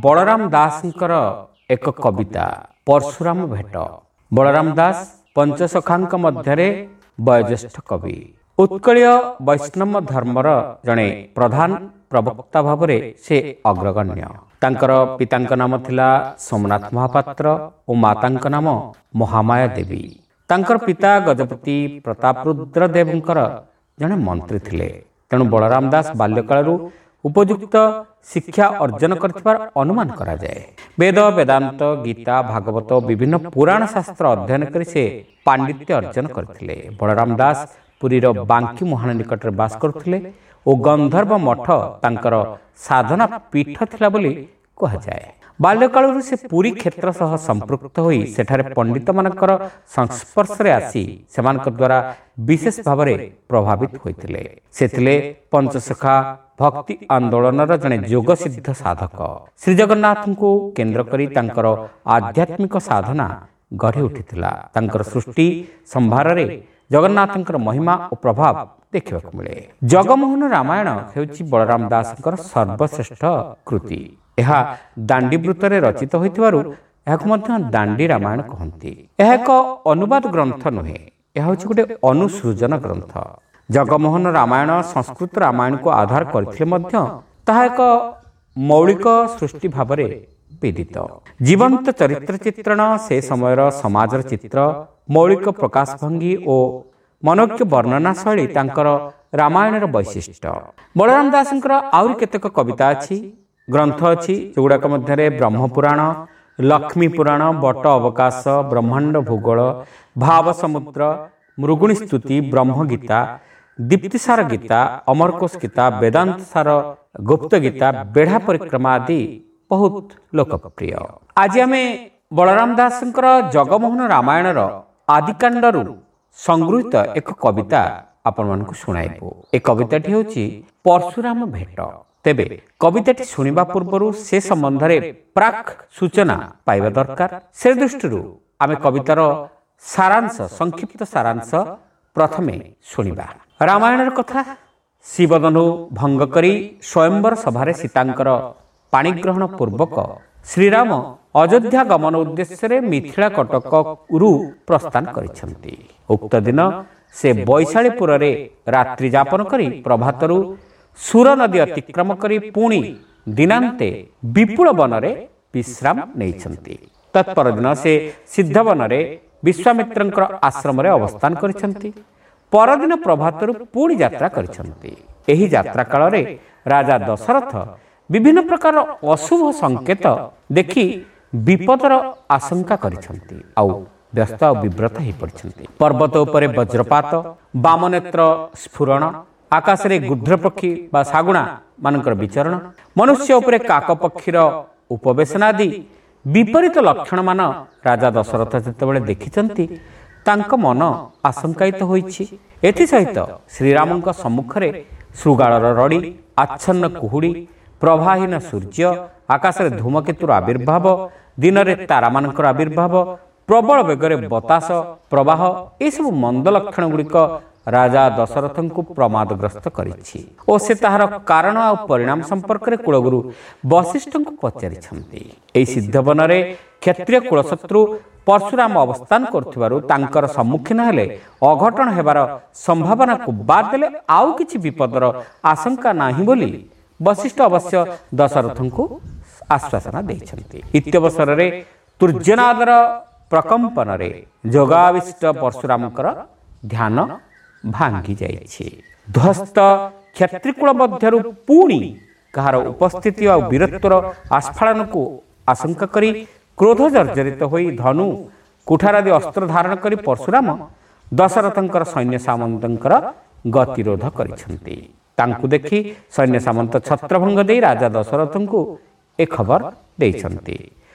ବଳରାମ ଦାସଙ୍କର ଏକ କବିତା ପରଶୁରାମ ଭେଟ। ବଳରାମ ଦାସ ପଞ୍ଚସଖାଙ୍କ ମଧ୍ୟରେ ବୟୋଜ୍ୟେଷ୍ଠ କବି। ଉତ୍କଳୀୟ ବୈଷ୍ଣବ ଧର୍ମର ଜଣେ ପ୍ରଧାନ ପ୍ରବକ୍ତା ଭାବରେ ସେ ଅଗ୍ରଗଣ୍ୟ। ତାଙ୍କର ପିତାଙ୍କ ନାମ ଥିଲା ସୋମନାଥ ମହାପାତ୍ର ଓ ମାତାଙ୍କ ନାମ ମହାମାୟା ଦେବୀ। ତାଙ୍କର ପିତା ଗଜପତି ପ୍ରତାପରୁଦ୍ର ଦେବଙ୍କର ଜଣେ ମନ୍ତ୍ରୀ ଥିଲେ। ତେଣୁ ବଳରାମ ଦାସ ବାଲ୍ୟକାଳରୁ ଉପଯୁକ୍ତ ଶିକ୍ଷା ଅର୍ଜନ କରିଥିବାର ଅନୁମାନ କରାଯାଏ। ବେଦ, ବେଦାନ୍ତ, ଗୀତା, ଭାଗବତ, ବିଭିନ୍ନ ପୁରାଣ ଶାସ୍ତ୍ର ଅଧ୍ୟୟନ କରି ସେ ପାଣ୍ଡିତ୍ୟ ଅର୍ଜନ କରିଥିଲେ। ବଳରାମ ଦାସ ପୁରୀର ବାଙ୍କି ମୁହାଣ ନିକଟରେ ବାସ କରୁଥିଲେ ଓ ଗନ୍ଧର୍ବ ମଠ ତାଙ୍କର ସାଧନା ପୀଠ ଥିଲା ବୋଲି କୁହାଯାଏ। ବାଲ୍ୟକାଳରୁ ସେ ପୁରୀ କ୍ଷେତ୍ର ସହ ସମ୍ପୃକ୍ତ ହୋଇ ସେଠାରେ ପଣ୍ଡିତମାନଙ୍କର ସଂସ୍ପର୍ଶରେ ଆସି ସେମାନଙ୍କ ଦ୍ୱାରା ବିଶେଷ ଭାବରେ ପ୍ରଭାବିତ ହୋଇଥିଲେ। ସେ ଥିଲେ ପଞ୍ଚସଖା ଭକ୍ତି ଆନ୍ଦୋଳନର ଜଣେ ଯୋଗସିଦ୍ଧ ସାଧକ। ଶ୍ରୀଜଗନ୍ନାଥଙ୍କୁ କେନ୍ଦ୍ର କରି ତାଙ୍କର ଆଧ୍ୟାତ୍ମିକ ସାଧନା ଗଢ଼ି ଉଠିଥିଲା। ତାଙ୍କର ସୃଷ୍ଟି ସମ୍ଭାରରେ ଜଗନ୍ନାଥଙ୍କର ମହିମା ଓ ପ୍ରଭାବ ଦେଖିବାକୁ ମିଳେ। ଜଗମୋହନ ରାମାୟଣ ହେଉଛି ବଳରାମ ଦାସଙ୍କର ସର୍ବଶ୍ରେଷ୍ଠ କୃତି। ଏହା ଦାଣ୍ଡିବୃତ୍ତରେ ରଚିତ ହୋଇଥିବାରୁ ଏହାକୁ ମଧ୍ୟ ଦାଣ୍ଡି ରାମାୟଣ କହନ୍ତି। ଏହା ଏକ ଅନୁବାଦ ଗ୍ରନ୍ଥ ନୁହେଁ, ଏହା ହେଉଛି ଗୋଟେ ଅନୁସୃଜନ ଗ୍ରନ୍ଥ। ଜଗମୋହନ ରାମାୟଣ ସଂସ୍କୃତ ରାମାୟଣକୁ ଆଧାର କରିଥିଲେ ମଧ୍ୟ ତାହା ଏକ ମୌଳିକ ସୃଷ୍ଟି ଭାବରେ ବିଦିତ। ଜୀବନ୍ତ ଚରିତ୍ର ଚିତ୍ରଣ, ସେ ସମୟର ସମାଜର ଚିତ୍ର, ମୌଳିକ ପ୍ରକାଶ ଭଙ୍ଗୀ ଓ ମନୋଜ୍ଞ ବର୍ଣ୍ଣନା ଶୈଳୀ ତାଙ୍କର ରାମାୟଣର ବୈଶିଷ୍ଟ୍ୟ। ବଳରାମ ଦାସଙ୍କର ଆହୁରି କେତେକ କବିତା ଅଛି, ଗ୍ରନ୍ଥ ଅଛି, ଯେଉଁଗୁଡ଼ାକ ମଧ୍ୟରେ ବ୍ରହ୍ମପୁରାଣ, ଲକ୍ଷ୍ମୀ ପୁରାଣ, ବଟ ଅବକାଶ, ବ୍ରହ୍ମାଣ୍ଡ ଭୂଗୋଳ, ଭାବ ସମୁଦ୍ର, ମୃଗୁଣୀ ସ୍ତୁତି, ବ୍ରହ୍ମଗୀତା, ଦୀପ୍ତିସାର ଗୀତା, ଅମରକୋଷ ଗୀତା, ବେଦାନ୍ତ ସାର, ଗୁପ୍ତ ଗୀତା, ବେଢ଼ା ପରିକ୍ରମା ଆଦି ବହୁତ ଲୋକପ୍ରିୟ। ଆଜି ଆମେ ବଳରାମ ଦାସଙ୍କର ଜଗମୋହନ ରାମାୟଣର ଆଦିକାଣ୍ଡରୁ ସଂଗୃହୀତ ଏକ କବିତା ଆପଣମାନଙ୍କୁ ଶୁଣାଇବୁ। ଏ କବିତାଟି ହେଉଛି ପରଶୁରାମ ଭେଟ। ତେବେ କବିତାଟି ଶୁଣିବା ପୂର୍ବରୁ ସେ ସମ୍ବନ୍ଧରେ ପ୍ରାକ୍ ସୂଚନା ପାଇବା ଦରକାର। ସେ ଦୃଷ୍ଟିରୁ ଆମେ କବିତାର ସାରାଂଶ, ସଂକ୍ଷିପ୍ତ ସାରାଂଶ ପ୍ରଥମେ ଶୁଣିବା। ରାମାୟଣର କଥା, ଶିବଧନୁ ଭଙ୍ଗ କରି ସ୍ୱୟଂବର ସଭାରେ ସୀତାଙ୍କର ପାଣିଗ୍ରହଣ ପୂର୍ବକ ଶ୍ରୀରାମ ଅଯୋଧ୍ୟା ଗମନ ଉଦ୍ଦେଶ୍ୟରେ ମିଥିଳା କଟକରୁ ପ୍ରସ୍ଥାନ କରିଛନ୍ତି। ଉକ୍ତ ଦିନ ସେ ବୈଶାଳୀପୁରରେ ରାତ୍ରି ଯାପନ କରି ପ୍ରଭାତରୁ ସୁର ନଦୀ ଅତିକ୍ରମ କରି ପୁଣି ଦିନାନ୍ତେ ବିପୁଳ ବନରେ ବିଶ୍ରାମ ନେଇଛନ୍ତି। ତତ୍ପରଦିନ ସେ ସିଦ୍ଧବନରେ ବିଶ୍ୱାମିତ୍ରଙ୍କର ଆଶ୍ରମରେ ଅବସ୍ଥାନ କରିଛନ୍ତି। ପରଦିନ ପ୍ରଭାତରୁ ପୁଣି ଯାତ୍ରା କରିଛନ୍ତି। ଏହି ଯାତ୍ରା କାଳରେ ରାଜା ଦଶରଥ ବିଭିନ୍ନ ପ୍ରକାର ଅଶୁଭ ସଂକେତ ଦେଖି ବିପଦର ଆଶଙ୍କା କରିଛନ୍ତି ଆଉ ବ୍ୟସ୍ତ ଆଉ ବିବ୍ରତ ହୋଇପଡ଼ିଛନ୍ତି। ପର୍ବତ ଉପରେ ବଜ୍ରପାତ, ବାମନେତ୍ର ସ୍ଫୁରଣ, ଆକାଶରେ ଗୃଧ୍ର ପକ୍ଷୀ ବା ଶାଗୁଣା ମାନଙ୍କର ବିଚରଣ, ମନୁଷ୍ୟ ଉପରେ କାକ ପକ୍ଷୀର ଉପବେଶନ ଆଦି ବିପରୀତ ଲକ୍ଷଣମାନ ରାଜା ଦଶରଥ ଯେତେବେଳେ ଦେଖିଛନ୍ତି, ତାଙ୍କ ମନ ଆଶଙ୍କାୟିତ ହୋଇଛି। ଏଥିସହିତ ଶ୍ରୀରାମଙ୍କ ସମ୍ମୁଖରେ ଶୃଗାଳର ରଡ଼ି, ଆଚ୍ଛନ୍ନ କୁହୁଡ଼ି, ପ୍ରଭାହୀନ ସୂର୍ଯ୍ୟ, ଆକାଶରେ ଧୂମକେତୁର ଆବିର୍ଭାବ, ଦିନରେ ତାରାମାନଙ୍କର ଆବିର୍ଭାବ, ପ୍ରବଳ ବେଗରେ ବତାସ ପ୍ରବାହ, ଏସବୁ ମନ୍ଦ ଲକ୍ଷଣ ଗୁଡ଼ିକ ରାଜା ଦଶରଥଙ୍କୁ ପ୍ରମାଦଗ୍ରସ୍ତ କରିଛି ଓ ସେ ତାହାର କାରଣ ଆଉ ପରିଣାମ ସମ୍ପର୍କରେ କୁଳଗୁରୁ ବଶିଷ୍ଠଙ୍କୁ ପଚାରିଛନ୍ତି। ଏହି ସିଦ୍ଧବନରେ କ୍ଷତ୍ରିୟ କୁଳଶତ୍ରୁ ପରଶୁରାମ ଅବସ୍ଥାନ କରୁଥିବାରୁ ତାଙ୍କର ସମ୍ମୁଖୀନ ହେଲେ ଅଘଟଣ ହେବାର ସମ୍ଭାବନାକୁ ବାଦ ଦେଲେ ଆଉ କିଛି ବିପଦର ଆଶଙ୍କା ନାହିଁ ବୋଲି ବଶିଷ୍ଠ ଅବଶ୍ୟ ଦଶରଥଙ୍କୁ ଆଶ୍ୱାସନା ଦେଇଛନ୍ତି। ଇତ୍ୟବସରରେ ତୂର୍ଯ୍ୟନାଦର ପ୍ରକମ୍ପନରେ ଯୋଗାବିଷ୍ଟ ପରଶୁରାମଙ୍କର ଧ୍ୟାନ ଭାଙ୍ଗି ଯାଇଛି। ଧ୍ୱସ୍ତ କ୍ଷତ୍ରିକୁଳ ମଧ୍ୟରୁ ପୁଣି କାହାର ଉପସ୍ଥିତି ଆଉ ବୀରତ୍ୱର ଆସ୍ଫାଳନକୁ ଆଶଙ୍କା କରି କ୍ରୋଧ ଜର୍ଜରିତ ହୋଇ ଧନୁ କୁଠାରାଦି ଅସ୍ତ୍ର ଧାରଣ କରି ପରଶୁରାମ ଦଶରଥଙ୍କର ସୈନ୍ୟ ସାମନ୍ତଙ୍କର ଗତିରୋଧ କରିଛନ୍ତି। ତାଙ୍କୁ ଦେଖି ସୈନ୍ୟ ସାମନ୍ତ ଛତ୍ରଭଙ୍ଗ ଦେଇ ରାଜା ଦଶରଥଙ୍କୁ ଏ ଖବର ଦେଇଛନ୍ତି।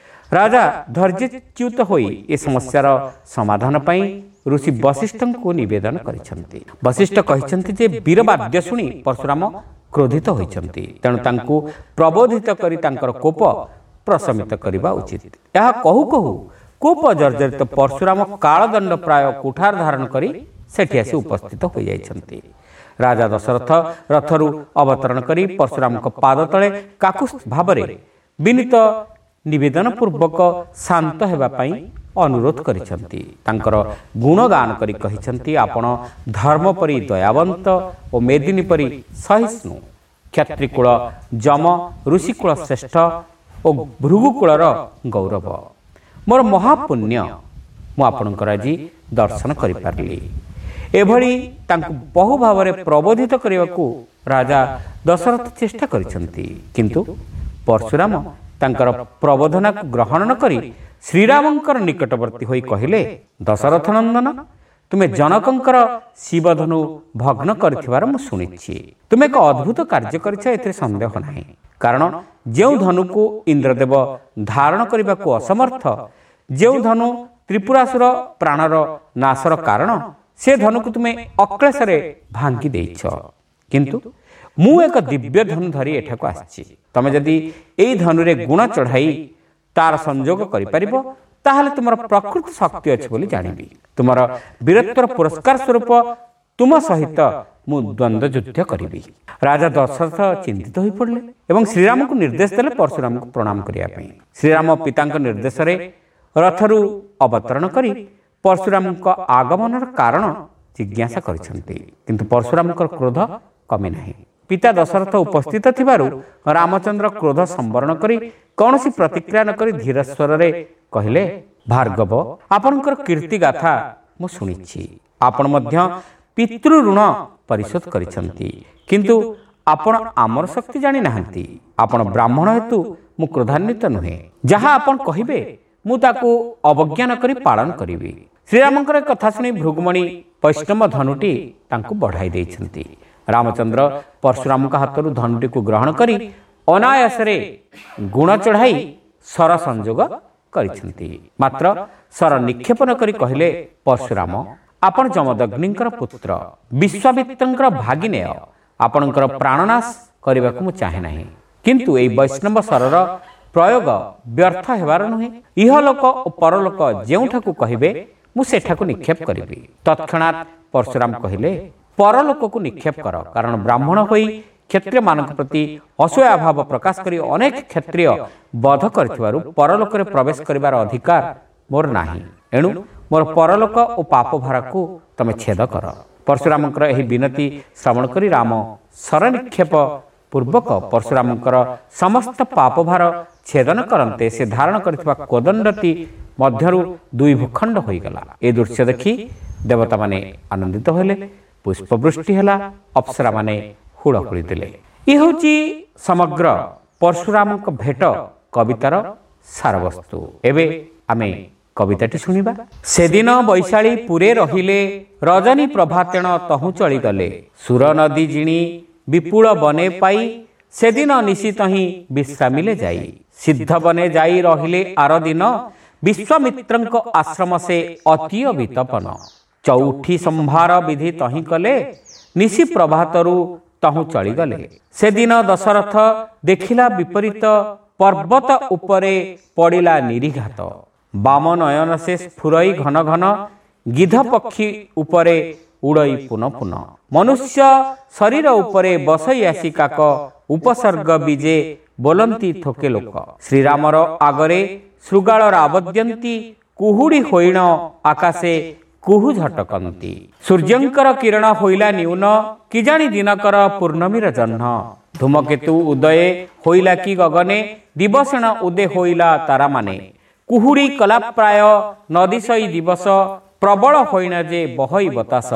ରାଜା ଧୈର୍ଯ୍ୟଚ୍ୟୁତ ହୋଇ ଏ ସମସ୍ୟାର ସମାଧାନ ପାଇଁ ଋଷି ବଶିଷ୍ଠଙ୍କୁ ନିବେଦନ କରିଛନ୍ତି। ବଶିଷ୍ଠ କହିଛନ୍ତି ଯେ ବୀରବାଦ୍ୟ ଶୁଣି ପରଶୁରାମ କ୍ରୋଧିତ ହୋଇଛନ୍ତି, ତେଣୁ ତାଙ୍କୁ ପ୍ରବୋଧିତ କରି ତାଙ୍କର କୋପ ପ୍ରଶମିତ କରିବା ଉଚିତ। ଏହା କହୁ କହୁ କୋପ ଜର୍ଜରିତ ପରଶୁରାମ କାଳଦଣ୍ଡ ପ୍ରାୟ କୁଠାର ଧାରଣ କରି ସେଠି ଆସି ଉପସ୍ଥିତ ହୋଇଯାଇଛନ୍ତି। ରାଜା ଦଶରଥ ରଥରୁ ଅବତରଣ କରି ପରଶୁରାମଙ୍କ ପାଦ ତଳେ କାକୁସ୍ଥ ଭାବରେ ବିନୀତ ନିବେଦନ ପୂର୍ବକ ଶାନ୍ତ ହେବା ପାଇଁ ଅନୁରୋଧ କରିଛନ୍ତି। ତାଙ୍କର ଗୁଣଗାନ କରି କହିଛନ୍ତି, ଆପଣ ଧର୍ମ ପରି ଦୟାବନ୍ତ ଓ ମେଦିନୀ ପରି ସହିଷ୍ଣୁ, କ୍ଷତ୍ରିକୁଳ ଯମ, ଋଷିକୁଳ ଶ୍ରେଷ୍ଠ ଓ ଭୃଗୁକୁଳର ଗୌରବ। ମୋର ମହାପୁଣ୍ୟ, ମୁଁ ଆପଣଙ୍କର ଆଜି ଦର୍ଶନ କରିପାରିଲି। ଏଭଳି ତାଙ୍କୁ ବହୁ ଭାବରେ ପ୍ରବୋଧିତ କରିବାକୁ ରାଜା ଦଶରଥ ଚେଷ୍ଟା କରିଛନ୍ତି, କିନ୍ତୁ ପରଶୁରାମ ତାଙ୍କର ପ୍ରବୋଧନାକୁ ଗ୍ରହଣ ନ କରି ଶ୍ରୀରାମଙ୍କର ନିକଟବର୍ତ୍ତୀ ହୋଇ କହିଲେ, ଦଶରଥ ନନ୍ଦନ, ତୁମେ ଜନକଙ୍କର ଶିବଧନୁ ଭଗ୍ନ କରିଥିବାର ମୁଁ ଶୁଣିଛି। ତୁମେ ଏକ ଅଦ୍ଭୁତ କାର୍ଯ୍ୟ କରିଛ, ଏଥିରେ ସନ୍ଦେହ ନାହିଁ। କାରଣ ଯେଉଁ ଧନୁକୁ ଇନ୍ଦ୍ରଦେବ ଧାରଣ କରିବାକୁ ଅସମର୍ଥ, ଯେଉଁ ଧନୁ ତ୍ରିପୁରାସୁର ପ୍ରାଣର ନାଶର କାରଣ, ସେ ଧନୁକୁ ତୁମେ ଅକ୍ଳେଶରେ ଭାଙ୍ଗି ଦେଇଛ। କିନ୍ତୁ ମୁଁ ଏକ ଦିବ୍ୟ ଧନୁ ଧରି ଏଠାକୁ ଆସିଛି। ତମେ ଯଦି ଏଇ ଧନୁରେ ଗୁଣ ଚଢ଼ାଇ ତାର ସଂଯୋଗ କରିପାରିବ, ତାହେଲେ ତୁମର ପ୍ରକୃତ ଶକ୍ତି ଅଛି ବୋଲି ଜାଣିବି। ତୁମର ବୀରତ୍ୱର ପୁରସ୍କାର ସ୍ୱରୂପ ତୁମ ସହିତ ମୁଁ ଦ୍ୱନ୍ଦ୍ୱ ଯୁଦ୍ଧ କରିବି। ରାଜା ଦଶରଥ ଚିନ୍ତିତ ହୋଇପଡ଼ିଲେ ଏବଂ ଶ୍ରୀରାମଙ୍କୁ ନିର୍ଦ୍ଦେଶ ଦେଲେ ପରଶୁରାମଙ୍କୁ ପ୍ରଣାମ କରିବା ପାଇଁ। ଶ୍ରୀରାମ ପିତାଙ୍କ ନିର୍ଦ୍ଦେଶରେ ରଥରୁ ଅବତରଣ କରି ପରଶୁରାମଙ୍କ ଆଗମନର କାରଣ ଜିଜ୍ଞାସା କରିଛନ୍ତି, କିନ୍ତୁ ପରଶୁରାମଙ୍କର କ୍ରୋଧ କମି ନାହିଁ। ପିତା ଦଶରଥ ଉପସ୍ଥିତ ଥିବାରୁ ରାମଚନ୍ଦ୍ର କ୍ରୋଧ ସମ୍ବରଣ କରି କୌଣସି ପ୍ରତିକ୍ରିୟା ନ କରି ଧୀର ସ୍ୱରରେ କହିଲେ, ଭାର୍ଗବ, ଆପଣଙ୍କର କୀର୍ତ୍ତି ଗାଥା ମୁଁ ଶୁଣିଛି। ଆପଣ ମଧ୍ୟ ପିତୃ ଋଣ ପରିଶୋଧ କରିଛନ୍ତି, କିନ୍ତୁ ଆପଣ ଆମର ଶକ୍ତି ଜାଣିନାହାନ୍ତି। ଆପଣ ବ୍ରାହ୍ମଣ ହେତୁ ମୁଁ କ୍ରୋଧାନ୍ୱିତ ନୁହେଁ। ଯାହା ଆପଣ କହିବେ ମୁଁ ତାକୁ ଅବଜ୍ଞା କରି ପାଳନ କରିବି। ଶ୍ରୀରାମଙ୍କର କଥା ଶୁଣି ଭୃଗୁମଣି ବୈଷ୍ଣବ ଧନୁଟି ତାଙ୍କୁ ବଢ଼ାଇ ଦେଇଛନ୍ତି। ରାମଚନ୍ଦ୍ର ପରଶୁରାମଙ୍କ ହାତରୁ ଧନୁଟିକୁ ଗ୍ରହଣ କରି ଅନାୟାସରେ ଗୁଣ ଚଢ଼ାଇ ଶର ସଂଯୋଗ କରିଛନ୍ତି। ମାତ୍ର ଶର ନିକ୍ଷେପ ନ କରି କହିଲେ, ପରଶୁରାମ, ଆପଣ ଯମଦଗ୍ନିଙ୍କର ପୁତ୍ର, ବିଶ୍ୱାମିତ୍ରଙ୍କର ଭାଗିନେୟ। ଆପଣଙ୍କର ପ୍ରାଣନାଶ କରିବାକୁ ମୁଁ ଚାହେଁ ନାହିଁ, କିନ୍ତୁ ଏଇ ବୈଷ୍ଣବ ଶରର ପ୍ରୟୋଗ ବ୍ୟର୍ଥ ହେବାର ନୁହେଁ। ଇହଲୋକ ଓ ପରଲୋକ ଯେଉଁଠାକୁ କହିବେ ମୁଁ ସେଠାକୁ ନିକ୍ଷେପ କରିବି। ତତ୍କ୍ଷଣାତ୍ ପରଶୁରାମ କହିଲେ, ପରଲୋକକୁ ନିକ୍ଷେପ କର, କାରଣ ବ୍ରାହ୍ମଣ ହୋଇ କ୍ଷତ୍ରିୟମାନଙ୍କ ପ୍ରତି ଅସୂୟା ଭାବ ପ୍ରକାଶ କରି ଅନେକ କ୍ଷତ୍ରିୟ ବଧ କରିଥିବାରୁ ପରଲୋକରେ ପ୍ରବେଶ କରିବାର ଅଧିକାର ମୋର ନାହିଁ। ଏଣୁ ମୋର ପରଲୋକ ଓ ପାପ ଭାରାକୁ ତମେ ଛେଦ କର। ପରଶୁରାମଙ୍କର ଏହି ବିନତି ଶ୍ରବଣ କରି ରାମ ଶରନିକ୍ଷେପ ପୂର୍ବକ ପରଶୁରାମଙ୍କର ସମସ୍ତ ପାପଭାର ଛେଦନ କରନ୍ତେ ସେ ଧାରଣ କରିଥିବା କୋଦଣ୍ଡଟି ମଧ୍ୟରୁ ଦୁଇ ଭୂଖଣ୍ଡ ହୋଇଗଲା। ଏ ଦୃଶ୍ୟ ଦେଖି ଦେବତାମାନେ ଆନନ୍ଦିତ ହେଲେ, ପୁଷ୍ପବୃଷ୍ଟି ହେଲା, ଅପ୍ସରାମାନେ ହୁଳହୁଳି ଦେଲେ। ଇଏ ହେଉଛି ସମଗ୍ର ପରଶୁରାମଙ୍କ ଭେଟ କବିତାର ସାରବସ୍ତୁ। ଏବେ ଆମେ କବିତାଟି ଶୁଣିବା। ସେଦିନ ବୈଶାଳୀ ପୁରେ ରହିଲେ, ରଜନୀ ପ୍ରଭାତେଣ ତହୁଁ ଚଳିଗଲେ। ସୁର ନଦୀ ଜିଣି ବିପୁଳ ବନେ ପାଇ, ସେଦିନ ନିଶିତ ହିଁ ବିଶ୍ରାମିଲେ ଯାଇ। ସିଦ୍ଧ ବନେ ଯାଇ ରହିଲେ ଆର ଦିନ, ବିଶ୍ୱାମିତ୍ରଙ୍କ ଆଶ୍ରମ ସେ ଅତୀୟ ବିତପନ। ଚଉଠି ସମ୍ଭାର ବିଧି ତହିଁ କଲେ, ନିଶି ପ୍ରଭାତରୁ ତହୁଁ ଚଳିଗଲେ। ସେଦିନ ଦଶରଥ ଦେଖିଲା ବିପରୀତ, ପର୍ବତ ଉପରେ ପଡ଼ିଲା ନିରିଘାତ। ବାମ ନୟନ ସେ ସ୍ଫୁରଇ ଘନ ଘନ, ଗିଧ ପକ୍ଷୀ ଉପରେ ଉଡ଼ଇ ପୁନ ପୁନ। ମନୁଷ୍ୟ ଶରୀର ଉପରେ ବସଇ ଆସି କାକ, ଉପସର୍ଗ ବିଜେ ବୋଲନ୍ତି ଥୋକେ ଲୋକ। ଶ୍ରୀରାମର ଆଗରେ ଶୃଗାଳ ରାବଦ୍ୟନ୍ତି, କୁହୁଡ଼ି ହୋଇଣ ଆକାଶେ କୁହୁ ଝଟକନ୍ତି। ସୂର୍ଯ୍ୟଙ୍କର କିରଣ ହୋଇଲା ନ୍ୟୁନ, କିଜାଣି ଦିନକର ପୂର୍ଣ୍ଣମୀର ଜହ୍ନ। ଧୂମକେତୁ ଉଦୟେ ହୋଇଲା କି ଗଗନେ, ଦିବସେଣ ଉଦେ ହୋଇଲା ତାରାମାନେ। କୁହୁଡ଼ି କଲା ପ୍ରାୟ ନଦୀଶଇ ଦିବସ, ପ୍ରବଳ ହୋଇଣ ଯେ ବହଇ ବତାସ।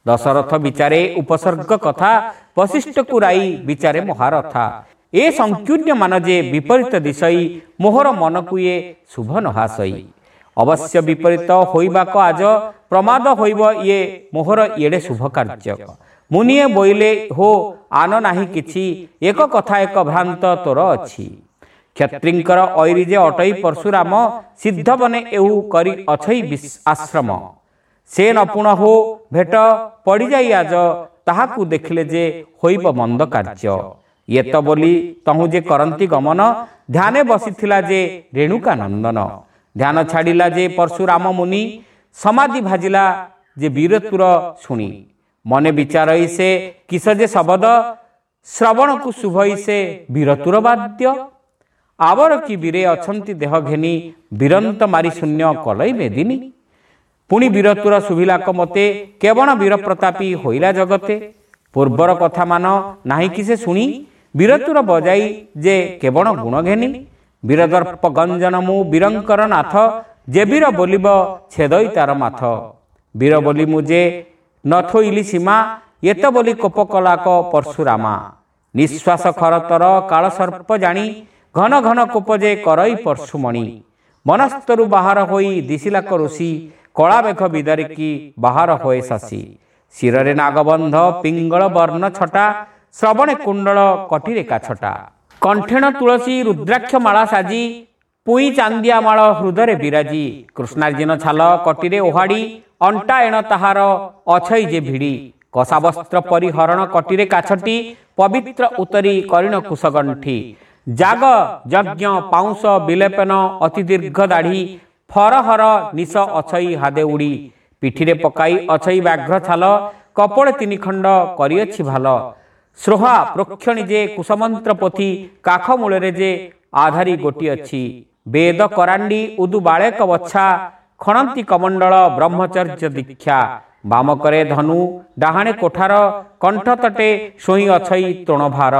ଦଶରଥ ବିଚାରେ ଉପସର୍ଗ କଥା, ବଶିଷ୍ଠକୁ ରାଇ ବିଚାରେ ମହାରଥା। ଏ ସଂକୀର୍ଣ୍ଣମାନ ଯେ ବିପରୀତ ଦିଶଇ, ମୋହର ମନକୁ ଏ ଶୁଭ ନହାସଇ। ଅବଶ୍ୟ ବିପରୀତ ହୋଇବାକ ଆଜ, ପ୍ରମାଦ ହୋଇବ ଇଏ ମୋହର ଏଡ଼େ ଶୁଭ କାର୍ଯ୍ୟ। ମୁନିଏ ବୋଇଲେ ହୋ ଆନ ନାହିଁ କିଛି, ଏକ କଥା ଏକ ଭ୍ରାନ୍ତ ତୋର ଅଛି। କ୍ଷତ୍ରିଙ୍କର ଐରି ଯେ ଅଟଇ ପରଶୁରାମ, ସିଦ୍ଧ ବନେ ଏହୁ କରି ଅଛଇ ଆଶ୍ରମ। ସେ ନପୁଣ ହୋ ଭେଟ ପଡ଼ିଯାଇ ଆଜ, ତାହାକୁ ଦେଖିଲେ ଯେ ହୋଇବ ମନ୍ଦ କାର୍ଯ୍ୟ। ୟେତ ବୋଲି ତହୁଁ ଯେ କରନ୍ତି ଗମନ, ଧ୍ୟାନେ ବସିଥିଲା ଯେ ରେଣୁକା ନନ୍ଦନ। ଧ୍ୟାନ ଛାଡ଼ିଲା ଯେ ପରଶୁରାମ ମୁନି, ସମାଧି ଭାଜିଲା ଯେ ବୀରତ୍ୱର ଶୁଣି। ମନେ ବିଚାରଇ ସେ କିସ ଯେ ଶବଦ, ଶ୍ରବଣକୁ ଶୁଭଇ ସେ ବୀରତୁର ବାଦ୍ୟ। ଆବର କି ବୀରେ ଅଛନ୍ତି ଦେହ ଘେନି, ବୀରନ୍ତ ମାରି ଶୂନ୍ୟ କଲଇ ମେଦିନୀ। ପୁଣି ବୀରତୁର ଶୁଭିଲାକ ମତେ, କେବଣ ବୀର ପ୍ରତାପୀ ହୋଇଲା ଜଗତେ। ପୂର୍ବର କଥା ମାନ ନାହିଁ କି ସେ ଶୁଣି, ବୀରତୁର ବଜାଇ ଯେ କେବଣ ଗୁଣ ଘେନି। ବୀରଦର୍ପ ଗଞ୍ଜନ ମୁଁ ବୀରଙ୍କର ନାଥ, ଯେ ବୀର ବୋଲିବ ଛେଦଇ ତାର ମାଥ। ବୀର ବୋଲି ମୁଁ ଯେ ନଥୋଇଲି ସୀମା, ଏତ ବୋଲି କୋପ କଲାକ ପରଶୁରାମା। ନିଶ୍ୱାସ ଖରତର କାଳ ସର୍ପ ଜାଣି, ଘନ ଘନ କୋପ ଯେ କରଇ ପରଶୁମଣି। ମନସ୍ତରୁ ବାହାର ହୋଇ ଦିଶିଲାକ ଋଷି, କଳା ମେଘ ବିଦାରିକି ବାହାର ହୋଏ ଶଶୀ। ଶିରରେ ନାଗବନ୍ଧ ପିଙ୍ଗଳ ବର୍ଣ୍ଣ ଛଟା, ଶ୍ରବଣେ କୁଣ୍ଡଳ କଟିରେ କାଛଟା। କଣ୍ଠେଣ ତୁଳସୀ ରୁଦ୍ରାକ୍ଷ ମାଳା ସାଜି, ପୁଇଁ ଚାନ୍ଦିଆ ମାଳ ହୃଦରେ ବିରାଜି। କୃଷ୍ଣାର୍ଜୁନ ଛାଲ କଟିରେ ଓହାଡ଼ି, ଅଣ୍ଟା ଏଣ ତାହାର ଅଛଇ ଯେ ଭିଡ଼ି। କଷାବସ୍ତ୍ର ପରିହରଣ କଟିରେ କାଛଟି, ପବିତ୍ର ଉତରି କରିଣ କୁଶଗଣ୍ଠି। ଜାଗ ଯଜ୍ଞ ପାଉଁଶ ବିଲେପନ ଅତି ଦୀର୍ଘ ଦାଢ଼ି, ଫରହର ନିଶ ଅଛଇ ହାଦେ ଉଡ଼ି। ପିଠିରେ ପକାଇ ଅଛଇ ବ୍ୟାଘ୍ର ଛାଲ, କପଳେ ତିନି ଖଣ୍ଡ କରିଅଛି ଭାଲ। ସ୍ରୋହା ପ୍ରୋକ୍ଷଣୀ ଯେ କୁଶମନ୍ତ୍ର ପୋଥି, କାଖ ମୂଳରେ ଯେ ଆଧାରୀ ଗୋଟି ଅଛି। ବେଦ କରାଣ୍ଡି ଉଦୁ ବାଳେକ ବଛା, ଖଣନ୍ତି କମଣ୍ଡଳ ବ୍ରହ୍ମଚର୍ଯ୍ୟ ଦୀକ୍ଷା। ବାମକରେ ଧନୁ ଡାହାଣେ କୋଠାର, କଣ୍ଠ ତଟେ ଶୋଇ ଅଛଇ ତୃଣଭାର।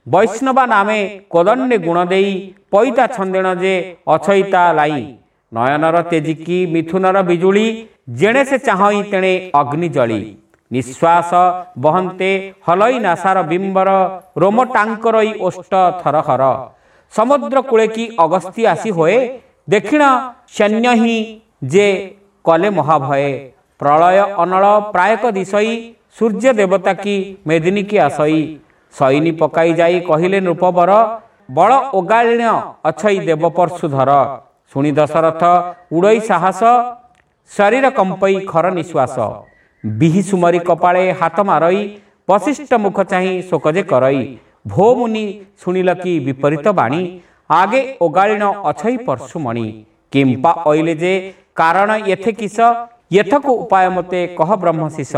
ବୈଷ୍ଣବା ନାମେ କୋଦଣ୍ଡେ ଗୁଣ ଦେଇ, ପଇତା ଛନ୍ଦେଣ ଯେ ଅଛଇ ତା ଲାଇ। ନୟନର ତେଜିକି ମିଥୁନର ବିଜୁଳି, ଯେଣେ ସେ ଚାହଁଇ ତେଣେ ଅଗ୍ନି ଜଳି। ନିଶ୍ୱାସ ବହନ୍ତେ ହଲଇ ନାସାର ବିମ୍ବର, ରୋମ ଟାଙ୍କରଇ ଓଷ୍ଠ ଥରହର। ସମୁଦ୍ର କୂଳେ କି ଅଗସ୍ତି ଆସି ହୋଏ, ଦକ୍ଷିଣ ସୈନ୍ୟ ହିଁ ଯେ କଲେ ମହାଭୟେ। ପ୍ରଳୟ ଅନଳ ପ୍ରାୟକ ଦିଶଇ, ସୂର୍ଯ୍ୟ ଦେବତା କି ମେଦିନୀ କି ଆସଇ। ସୈନି ପକାଇ ଯାଇ କହିଲେ ନୃପବର, ବଳ ଓଗାଳିଣ ଅଛଇ ଦେବ ପର୍ଶୁଧର। ଶୁଣି ଦଶରଥ ଉଡ଼ଇ ସାହସ, ଶରୀର କମ୍ପଇ ଖର ନିଶ୍ୱାସ। ବିହି ସୁମରି କପାଳେ ହାତ ମାରଇ, ବଶିଷ୍ଠ ମୁଖ ଚାହିଁ ଶୋକ ଯେ କରଇ। ଭୋ ମୁନି ଶୁଣିଲ କି ବିପରୀତ ବାଣୀ, ଆଗେ ଓଗାଳିଣ ଅଛଇ ପର୍ଶୁମଣି। କିମ୍ପା ଅଇଲେ ଯେ କାରଣ ଏଥେ କିସ, ଏଥକୁ ଉପାୟ ମତେ କହ ବ୍ରହ୍ମଶିଷ।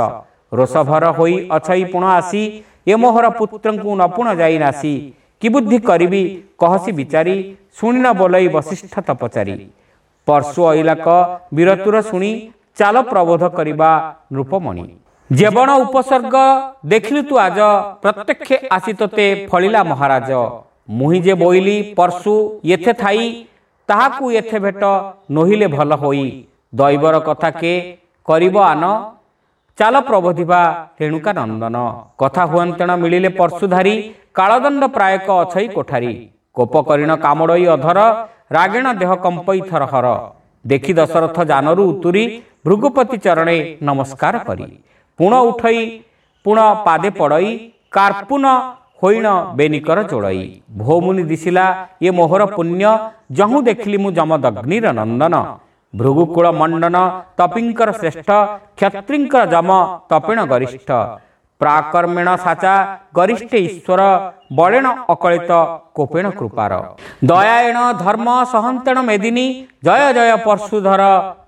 ରୋଷଭର ହୋଇ ଅଛଇ ପୁଣ ଆସି, ଏ ମୋହର ପୁତ୍ରଙ୍କୁ ନପୁଣ ଯାଇ ନାସି। କି ବୁଦ୍ଧି କରିବି କହସି ବିଚାରି, ଶୁଣିନ ବୋଲଇ ବଶିଷ୍ଠ ତପଚାରି। ପର୍ଶୁ ଅଇଲାକ ବୀରତୁର ଶୁଣି, ଚାଲ ପ୍ରବୋଧ କରିବା ନୃପମଣି। ଯେବଣ ଉପସର୍ଗ ଦେଖିଲୁ ତୁ ଆଜ, ପ୍ରତ୍ୟକ୍ଷେ ଆସି ତୋତେ ଫଳିଲା ମହାରାଜ। ମୁହିଁ ଯେ ବୋଇଲି ପର୍ଶୁ ଏଥେ ଥାଇ, ତାହାକୁ ଏଥେ ଭେଟ ନୋହିଲେ ଭଲ ହୋଇ। ଦୈବର କଥା କେ କରିବ ଆନ, ଚାଲ ପ୍ରବୋଧିବା ରେଣୁକା ନନ୍ଦନ। କଥା ହୁଅନ୍ତେଣ ମିଳିଲେ ପର୍ଶୁଧାରୀ, କାଳଦଣ୍ଡ ପ୍ରାୟକ ଅଛଇ କୋଠାରୀ। କୋପ କରିଣ କାମଡ଼ଇ ଅଧର, ରାଗେଣ ଦେହ କମ୍ପଇ ଥରହର। ଦେଖି ଦଶରଥ ଜାନରୁ ଉତୁରି, ଭୃଗୁପତି ଚରଣେ ନମସ୍କାର କରି। ପୁଣ ଉଠଇ ପୁଣ ପାଦେ ପଡ଼ଇ, କାର୍ପୁନ ହୋଇଣ ବେନିକର ଯୋଡ଼ଇ। ଭୋମୁନି ଦିଶିଲା ଏ ମୋହର ପୁଣ୍ୟ, ଯହୁଁ ଦେଖିଲି ମୁଁ ଯମଦଗ୍ନିର ନନ୍ଦନ। ଭୃଗୁକୁଳ ମଣ୍ଡନ ତପିଙ୍କର ଶ୍ରେଷ୍ଠ, କ୍ଷତ୍ରିଙ୍କର ଯମ ତପିଣ ଗରିଷ୍ଠ। ପ୍ରାକର୍ମେଣ ସାଚା ଗରିଷ୍ଠେ ଈଶ୍ୱର, ବଳେଣ ଅକଳିତ କୋପେଣ କୃପାର। ଦୟାଏଣ ଧର୍ମ ସହନ୍ତେଣ ମେଦିନୀ, ଜୟ ଜୟ ପର୍ଶୁଧର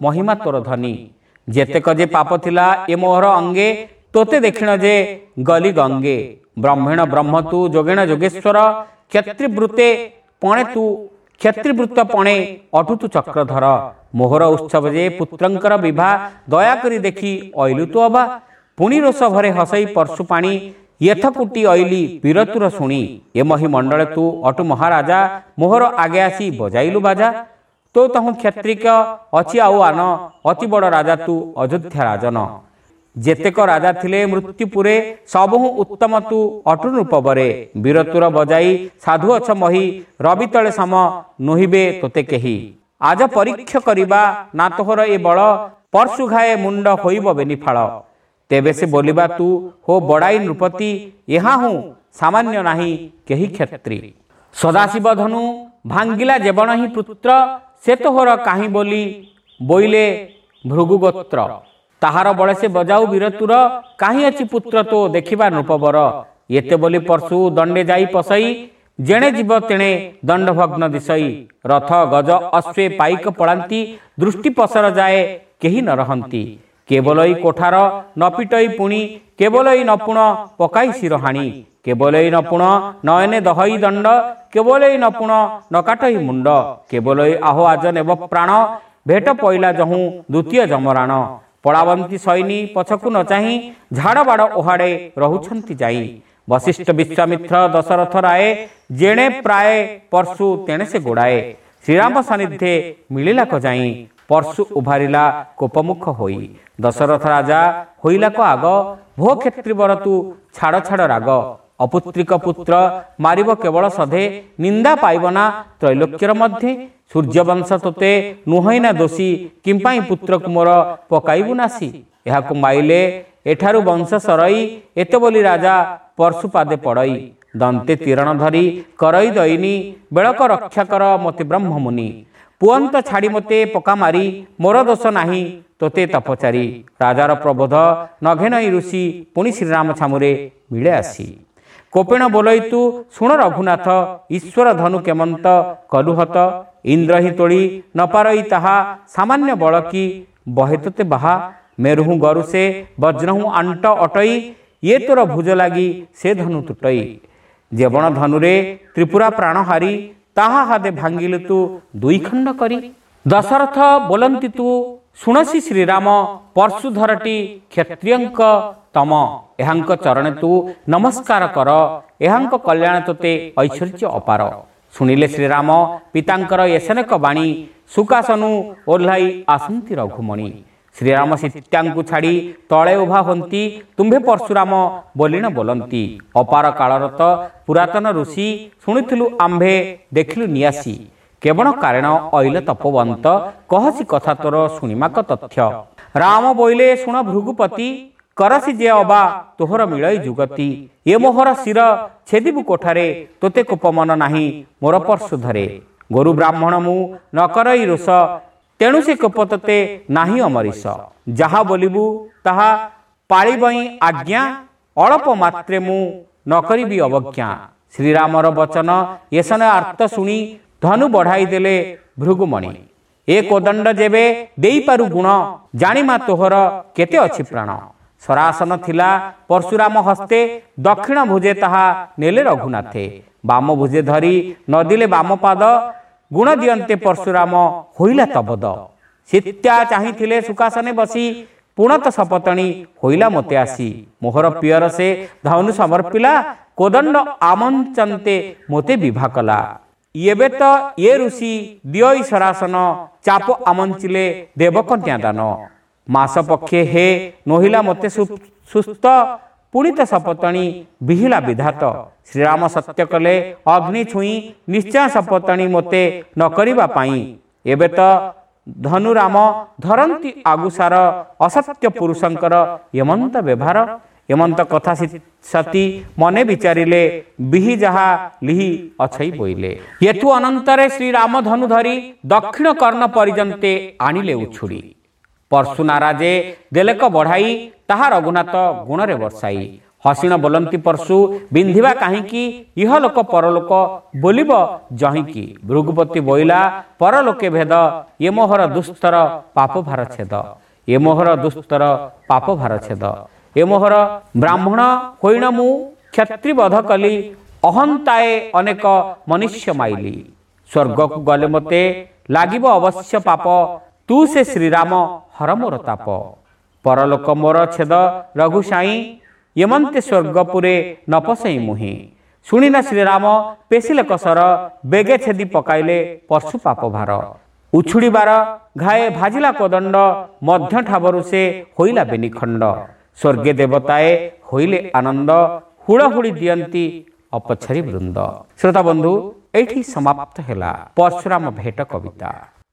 ମହିମା ତୋର ଧନୀ। ଯେତେକ ଯେ ପାପ ଥିଲା ଏ ମୋହର ଅଙ୍ଗେ, ତୋତେ ଦେଖିଣ ଯେ ଗଲି ଗଙ୍ଗେ। ବ୍ରହ୍ମେଣ ବ୍ରହ୍ମ ତୁ ଯୋଗେଣ ଯୋଗେଶ୍ୱର, କ୍ଷତ୍ରିବୃତ୍ତେ ପଣେ ତୁ କ୍ଷତ୍ରିବୃତ୍ତ ପଣେ ଅଟୁ ତୁ ଚକ୍ରଧର। ମୋହର ଉତ୍ସବ ଯେ ପୁତ୍ରଙ୍କର ବିଭା, ଦୟାକରି ଦେଖି ଅଇଲୁ ତୁ ଅବା। ପୁଣି ରୋଷ ଭରେ ହସଇ ପର୍ଶୁ ପାଣି, ୟଥକୁଟି ଅଇଲି ବୀରତୁର ଶୁଣି। ଏ ମହି ମଣ୍ଡଳେ ତୁ ଅଟୁ ମହାରାଜା, ମୋହର ଆଗେ ଆସି ବଜାଇଲୁ ବାଜା। ତୋ ତହୁଁ କ୍ଷତ୍ରିକ ଅଛି ଆଉ ଆନ, ଅତି ବଡ଼ ରାଜା ତୁ ଅଯୋଧ୍ୟା ରାଜନ। ଯେତେକ ରାଜା ଥିଲେ ମୃତ୍ୟୁପୁରେ, ସବୁହୁଁ ଉତ୍ତମ ତୁ ଅଟୁ ନୃପବରେ। ବୀରତୁର ବଜାଇ ସାଧୁ ଅଛ ମହି, ରବି ତଳେ ସମ ନୋହିବେ ତୋତେ କେହି। ଆଜ ପରୀକ୍ଷ କରିବା ନା ତୋହର ଏ ବଳ, ପର୍ଶୁ ଘାଏ ମୁଣ୍ଡ ହୋଇବ ବେନିଫାଳ। ତେବେ ସେ ବୋଲିବା ତୁ ହୋ ବଡ଼ାଇ ନୃପତି, ଏହା ହୁଁ ସାମାନ୍ୟ ନାହିଁ କେହି କ୍ଷତ୍ରି। ସଦାଶିବ ଧନୁ ଭାଙ୍ଗିଲା ଯେବଣ ହିଁ ପୁତ୍ର, ସେ ତୋହର କାହିଁ ବୋଲି ବୋଇଲେ ଭୃଗୁଗୋତ୍ର। ତାହାର ବଳେ ସେ ବଜାଉ ବୀରତୁର, କାହିଁ ଅଛି ପୁତ୍ର ତୋ ଦେଖିବା ନୃପବର। ଏତେ ବୋଲି ପର୍ଶୁ ଦଣ୍ଡେ ଯାଇ ପଶଇ, ଯେଣେ ଯିବ ତେଣେ ଦଣ୍ଡଭଗ୍ନ ଦିଶଇ। ରଥ ଗଜ ଅଶ୍ୱେ ପାଇକ ପଳାନ୍ତି, ଦୃଷ୍ଟି ପସର ଯାଏ କେହି ନ ରହନ୍ତି। କେବଲଇ କୋଠାର ନପିଟଇ ପୁଣି, କେବଲଇ ନପୁଣ ପକାଇ ଶିରହାଣି, କେବଲଇ ନପୁଣ ନୟନେ ଦହଇ ଦଣ୍ଡ, କେବଲଇ ନପୁଣ ନକାଟଇ ମୁଣ୍ଡ, କେବଲଇ ଆହୋ ଆଜ ନେବ ପ୍ରାଣ, ଭେଟ ପଇଲା ଯହୁଁ ଦ୍ୱିତୀୟ ଯମରାଣ। ପଳାବନ୍ତୀ ସୈନି ପଛକୁ ନ ଚାହିଁ, ଝାଡ଼ ବାଡ଼ ଓହାଡ଼େ ରହୁଛନ୍ତି ଯାଇ। ବଶିଷ୍ଠ ବିଶ୍ୱାମିତ୍ର ଦଶରଥ ରାଏ, ଯେଣେ ପ୍ରାୟ ପର୍ଶୁ ତେଣେ ସେ ଗୋଡ଼ାଏ। ଶ୍ରୀରାମ ସାନ୍ନିଧ୍ୟେ ମିଳିଲାକ ଯାଇ, ପର୍ଶୁ ଉଭାରିଲା କୋପମୁଖ ହୋଇ। ଦଶରଥ ରାଜା ହୋଇଲାକ ଆଗ, ଭୋ କ୍ଷତ୍ରିବର ତୁ ଛାଡ଼ ଛାଡ଼ ରାଗ। ଅପୁତ୍ରିକ ପୁତ୍ର ମାରିବ କେବଳ ସଧେ, ନିନ୍ଦା ପାଇବ ନା ତ୍ରୈଲୋକ୍ୟର ମଧ୍ୟେ। ସୂର୍ଯ୍ୟବଂଶ ତୋତେ ନୁହଁଇ ନା ଦୋଷୀ, କିମ୍ପାଇଁ ପୁତ୍ରକୁ ମୋର ପକାଇବୁ ନାସି। ଏହାକୁ ମାଇଲେ ଏଠାରୁ ବଂଶ ସରଇ, ଏତେ ବୋଲି ରାଜା ପର୍ଶୁ ପାଦେ ପଡ଼ଇ। ଦନ୍ତେ ତିରଣ ଧରି କରଇ ଦଇନି, ବେଳକ ରକ୍ଷା କର ମୋତେ ବ୍ରହ୍ମମୁନି। ପୁଅନ୍ତ ଛାଡ଼ି ମୋତେ ପକା ମାରି, ମୋର ଦୋଷ ନାହିଁ ତୋତେ ତପଚାରି। ରାଜାର ପ୍ରବୋଧ ନଘେନଇ ଋଷି, ପୁଣି ଶ୍ରୀରାମ ଛାମୁରେ ମିଳେ ଆସି। କୋପେଣ ବୋଲଇ ତୁ ଶୁଣ ରଘୁନାଥ, ଈଶ୍ୱର ଧନୁ କେମନ୍ତ କଲୁହତ। ଇନ୍ଦ୍ର ହିଁ ତୋଳି ନପାରଇ ତାହା, ସାମାନ୍ୟ ବଳ କି ବହେ ତୋତେ ବାହା। ମେରୁହୁଁ ଗରୁ ସେ ବଜ୍ରହୁଁ ଆଣ୍ଟ ଅଟଇ, ଇଏ ତୋର ଭୁଜ ଲାଗି ସେ ଧନୁ ତୁଟଇ। ଯେବଣ ଧନୁରେ ତ୍ରିପୁରା ପ୍ରାଣ ହାରି, ତାହା ହାଦେ ଭାଙ୍ଗିଲୁ ତୁ ଦୁଇ ଖଣ୍ଡ କରି। ଦଶରଥ ବୋଲନ୍ତି ତୁ ଶୁଣସି ଶ୍ରୀରାମ, ପର୍ଶୁଧରଟି କ୍ଷତ୍ରିୟଙ୍କ ତମ। ଏହାଙ୍କ ଚରଣେ ତୁ ନମସ୍କାର କର, ଏହାଙ୍କ କଲ୍ୟାଣ ତୋତେ ଐଶ୍ୱର୍ଯ୍ୟ ଅପାର। ଶୁଣିଲେ ଶ୍ରୀରାମ ପିତାଙ୍କର ଏସନେକ ବାଣୀ, ସୁକାସନୁ ଓହ୍ଲାଇ ଆସନ୍ତି ରଘୁମଣି। ଶ୍ରୀରାମ ସୀତାଙ୍କୁ ଛାଡ଼ି ତଳେ ଉଭା ହୁଅନ୍ତି, ତୁମ୍ଭେ ପରଶୁରାମ ବୋଲିଣ ବୋଲନ୍ତି। ଅପାର କାଳରତ ପୁରାତନ ଋଷି, ଶୁଣିଥିଲୁ ଆମ୍ଭେ ଦେଖିଲୁ ନିଆସି। କେବଳ କାରଣ ଅଇଲ ତପୋବନ୍ତ, କହସି କଥା ତୋର ଶୁଣିମାକ ତଥ୍ୟ। ରାମ ବୋଇଲେ ଶୁଣ ଭୃଗୁପତି, କରସି ଯେ ଅବା ତୋହର ମିଳଇ ଯୁଗତି। ଏ ମୋହର ଶିର ଛେଦିବୁ କୋଠାରେ, ତୋତେ କୋପ ମନ ନାହିଁ ମୋର ପର୍ଶୁ ଧରେ। ଗୋରୁ ବ୍ରାହ୍ମଣ ମୁଁ ନ କରଇ ରୋଷ, ତେଣୁ ସେ କୋପ ତୋତେ ନାହିଁ ଅମରିଷ। ଯାହା ବୋଲିବୁ ତାହା ପାଳିବଇଁ ଆଜ୍ଞା, ଅଳପ ମାତ୍ରେ ମୁଁ ନ କରିବି ଅବଜ୍ଞା। ଶ୍ରୀରାମର ବଚନ ଏସନ ଆର୍ତ୍ତ ଶୁଣି, ଧନୁ ବଢ଼ାଇ ଦେଲେ ଭୃଗୁମଣି। ଏ କୋଦଣ୍ଡ ଯେବେ ଦେଇପାରୁ ଗୁଣ, ଜାଣିମା ତୋହର କେତେ ଅଛି ପ୍ରାଣ। ସରାସନ ଥିଲା ପରଶୁରାମ ହସ୍ତେ, ଦକ୍ଷିଣ ଭୁଜେ ତାହା ନେଲେ ରଘୁନାଥେ। ବାମ ଭୁଜେ ଧରି ନଦିଲେ ବାମ ପାଦ, ଗୁଣ ଦିଅନ୍ତେ ପରଶୁରାମ ହୋଇଲା ତବଦ। ସୀତା ଚାହିଁଥିଲେ ସୁକାସନେ ବସି, ପୁଣତ ସପତଣି ହୋଇଲା ମୋତେ ଆସି। ମୋହର ପିଅର ସେ ଧନୁ ସମର୍ପିଲା, କୋଦଣ୍ଡ ଆମଞ୍ଚନ୍ତେ ମୋତେ ବିଭା କଲା। ଏବେ ତ ଏ ଋଷି ଦିଅଇ ସରାସନ, ଚାପ ଆମଞ୍ଚିଲେ ଦେବକନ୍ୟା ଦାନ। ମାସ ପକ୍ଷେ ହେ ନୋହିଲା ମୋତେ ସୁସ୍ଥ, ପୁଣି ତ ସପତଣି ବିହିଲା ବିଧାତ। ଶ୍ରୀରାମ ସତ୍ୟ କଲେ ଅଗ୍ନି ଛୁଇଁ, ନିଶ୍ଚୟ ସପତଣି ମୋତେ ନ କରିବା ପାଇଁ। ଏବେ ତ ଧନୁରାମ ଧରନ୍ତି ଆଗୁସାର, ଅସତ୍ୟ ପୁରୁଷଙ୍କର ଏମନ୍ତ ବ୍ୟବହାର। ଏମନ୍ତ କଥା ସତୀ ମନେ ବିଚାରିଲେ, ବିହି ଯାହା ଲିହି ଅଛଇ ବୋଇଲେ। ଏଥୁ ଅନନ୍ତରେ ଶ୍ରୀରାମ ଧନୁ ଧରି, ଦକ୍ଷିଣ କର୍ଣ୍ଣ ପରିଯନ୍ତେ ଆଣିଲେ ଉଛୁଡ଼ି। ପର୍ଶୁ ନାରାଜେ ଦେଲେକ ବଢ଼ାଇ, ତାହା ରଘୁନାଥ ଗୁଣରେ ବର୍ଷାଇ। ହସିଣ ବୋଲନ୍ତି ପର୍ଶୁ ବିନ୍ଧିବା କାହିଁକି, ଇହ ଲୋକ ପରଲୋକ ବୋଲିବ ଯହିଁକି। ଭୃଗୁପତି ବୋଇଲା ପରଲୋକେ ଭେଦ, ଏ ମୋହର ଦୁସ୍ତର ପାପ ଭାର ଛେଦ। ଏ ମୋହର ଦୁସ୍ତର ପାପ ଭାର ଛେଦ। ଏ ମୋହର ବ୍ରାହ୍ମଣ ହୋଇଣ ମୁଁ କ୍ଷତ୍ରିବଧ କଲି, ଅହନ୍ତାଏ ଅନେକ ମନୁଷ୍ୟ ମାଇଲି। ସ୍ୱର୍ଗକୁ ଗଲେ ମୋତେ ଲାଗିବ ଅବଶ୍ୟ ପାପ, ତୁ ସେ ଶ୍ରୀରାମ ହର ମୋର ତାପ। ପରଲୋକ ମୋର ଛେଦ ରଘୁସାଇଁ, ଏମନ୍ତେ ସ୍ୱର୍ଗପୁରେ ନ ପଶେଇ ମୁହିଁ। ଶୁଣିନା ଶ୍ରୀରାମ ପେଶିଲେ କସର, ବେଗେ ଛେଦି ପକାଇଲେ ପଶୁ ପାପ ଭାର। ଉଛୁଡ଼ିବାର ଘାଏ ଭାଜିଲା କୋଦଣ୍ଡ, ମଧ୍ୟ ଠାବରୁ ସେ ହୋଇଲା ବେନିଖଣ୍ଡ। ସ୍ୱର୍ଗେ ଦେବତାଏ ହୋଇଲେ ଆନନ୍ଦ, ହୁଳହୁଳି ଦିଅନ୍ତି ଅପଛାରୀ ବୃନ୍ଦ। ଶ୍ରୋତା ବନ୍ଧୁ, ଏଇଠି ସମାପ୍ତ ହେଲା ପରଶୁରାମ ଭେଟ କବିତା।